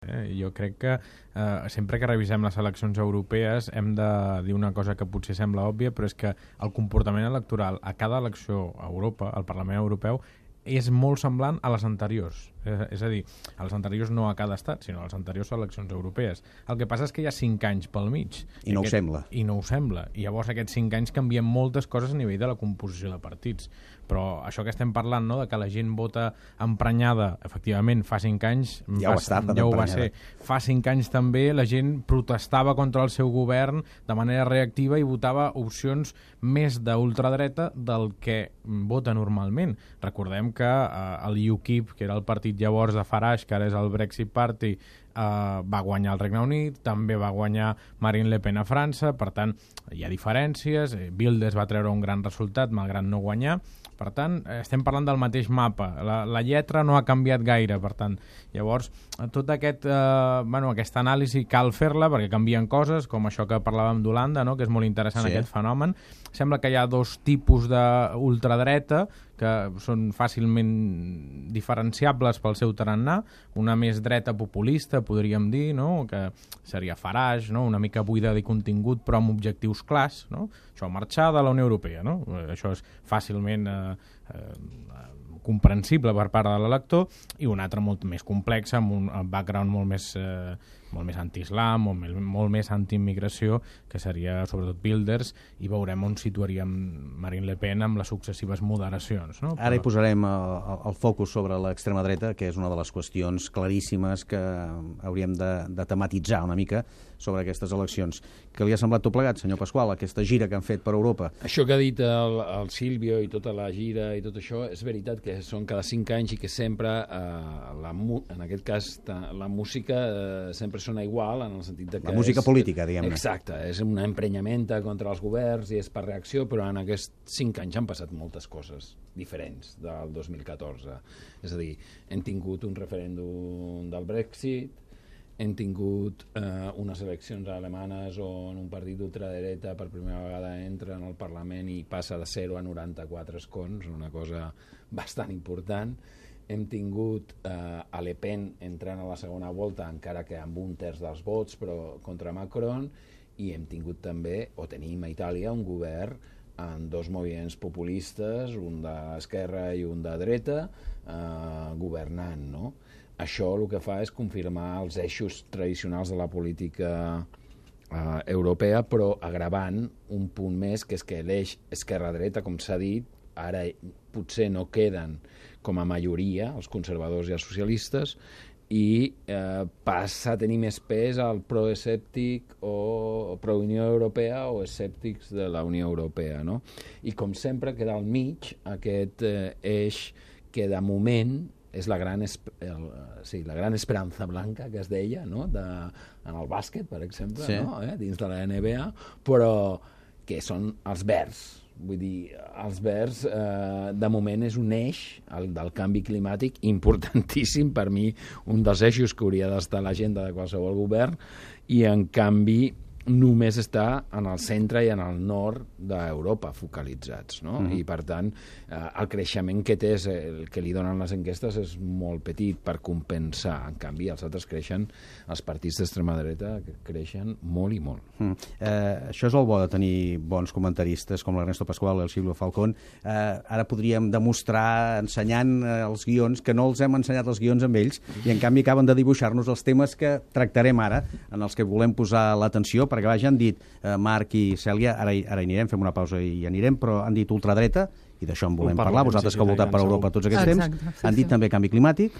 Jo crec que sempre que revisem les eleccions europees hem de dir una cosa que potser sembla òbvia, però és que el comportament electoral a cada elecció a Europa, al Parlament Europeu, és molt semblant a les anteriors. És a dir, a les anteriors no a cada estat, sinó a les anteriors eleccions europees. El que passa és que hi ha 5 anys pel mig. I no ho sembla. I no ho sembla. I llavors aquests 5 anys canvien moltes coses a nivell de la composició de partits. Però això que estem parlant, no?, de que la gent vota emprenyada, efectivament, fa 5 anys... Ja ho va ser. Fa 5 anys també la gent protestava contra el seu govern de manera reactiva i votava opcions més d'ultradreta del que vota normalment. Recordem que el UKIP, que era el partit llavors de Farage, que ara és el Brexit Party, va guanyar el Regne Unit, també va guanyar Marine Le Pen a França, per tant, hi ha diferències, Wilders va treure un gran resultat, malgrat no guanyar, per tant, estem parlant del mateix mapa, la lletra no ha canviat gaire, per tant, llavors, tot aquesta anàlisi cal fer-la perquè canvien coses, com això que parlàvem d'Holanda, no?, que és molt interessant aquest fenomen. Sembla que hi ha 2 tipus d'ultradreta que són fàcilment diferenciables pel seu tarannà, una més dreta populista, podríem dir, no?, que seria Farage, no?, una mica buida de contingut però amb objectius clars, no?, això, marxar de la Unió Europea, no?, això és fàcilment comprensible per part de l'elector, i una altra molt més complexa, amb un background molt més anti-islam, molt més anti-immigració, que seria sobretot Wilders, i veurem on situaríem Marine Le Pen amb les successives moderacions. No? Ara hi posarem el focus sobre l'extrema dreta, que és una de les qüestions claríssimes que hauríem de tematitzar una mica sobre aquestes eleccions. Què li ha semblat tot plegat, senyor Pasqual, aquesta gira que han fet per Europa? Això que ha dit el Silvio i tota la gira i tot això, és veritat que són cada 5 anys i que sempre, en aquest cas, la música sempre sona igual, en el sentit de que... La música política, diguem-ne. Exacte, és una emprenyamenta contra els governs i és per reacció, però en aquests 5 anys han passat moltes coses diferents del 2014. És a dir, hem tingut un referèndum del Brexit, hem tingut unes eleccions alemanes on un partit d'ultradreta per primera vegada entra en el Parlament i passa de 0 a 94 escons, una cosa bastant important. Hem tingut a Le Pen entrant a la segona volta, encara que amb 1/3 dels vots, però contra Macron, i hem tingut també, o tenim a Itàlia, un govern amb 2 moviments populistes, un d'esquerra i un de dreta, governant, no? Això el que fa és confirmar els eixos tradicionals de la política europea, però agravant un punt més, que és que l'eix esquerra-dreta, com s'ha dit, ara potser no queden com a majoria els conservadors i els socialistes, i passa a tenir més pes el proescèptic o pro-Unió Europea o escèptics de la Unió Europea, no? I com sempre queda al mig aquest eix que de moment és la gran esperança blanca que es deia, no?, en el bàsquet, per exemple, sí, no? Dins de la NBA, però que són els verds. Vull dir, els verds de moment és un eix, el del canvi climàtic, importantíssim, per mi un dels eixos que hauria d'estar a l'agenda de qualsevol govern, i en canvi només està en el centre i en el nord d'Europa focalitzats, no? I per tant el creixement que té, el que li donen les enquestes, és molt petit per compensar. En canvi els altres creixen, els partits d'extrema dreta creixen molt i molt. Això és el bo de tenir bons comentaristes com l'Ernesto Pasqual i el Silvio Falcón. Ara podríem demostrar ensenyant els guions que no els hem ensenyat els guions amb ells, i en canvi acaben de dibuixar-nos els temes que tractarem ara, en els que volem posar l'atenció, perquè ja han dit Marc i Cèlia, ara hi anirem, fem una pausa i hi anirem, però han dit ultradreta, i d'això en volem parlar, vosaltres que heu voltat per Europa tots aquests temps. Han dit també canvi climàtic.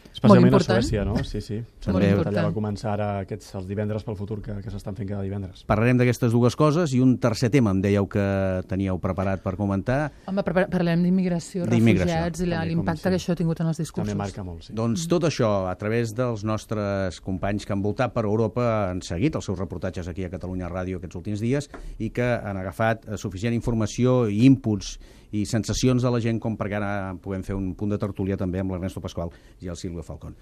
Especialment a Suècia, no? Sí. Allà va començar ara els divendres pel futur que s'estan fent cada divendres. Parlarem d'aquestes 2 coses, i un tercer tema em dèieu que teníeu preparat per comentar. Home, parlem d'immigració, refugiats i l'impacte que això ha tingut en els discursos. També marca molt, sí. Doncs tot això, a través dels nostres companys que han voltat per Europa, han seguit els seus reportatges aquí a Catalunya Ràdio aquests últims dies, i que han agafat suficient informació i inputs i sensacions de la gent com perquè ara puguem fer un punt de tertúlia també amb l'Ernesto Pasqual i el Silvio Falcón.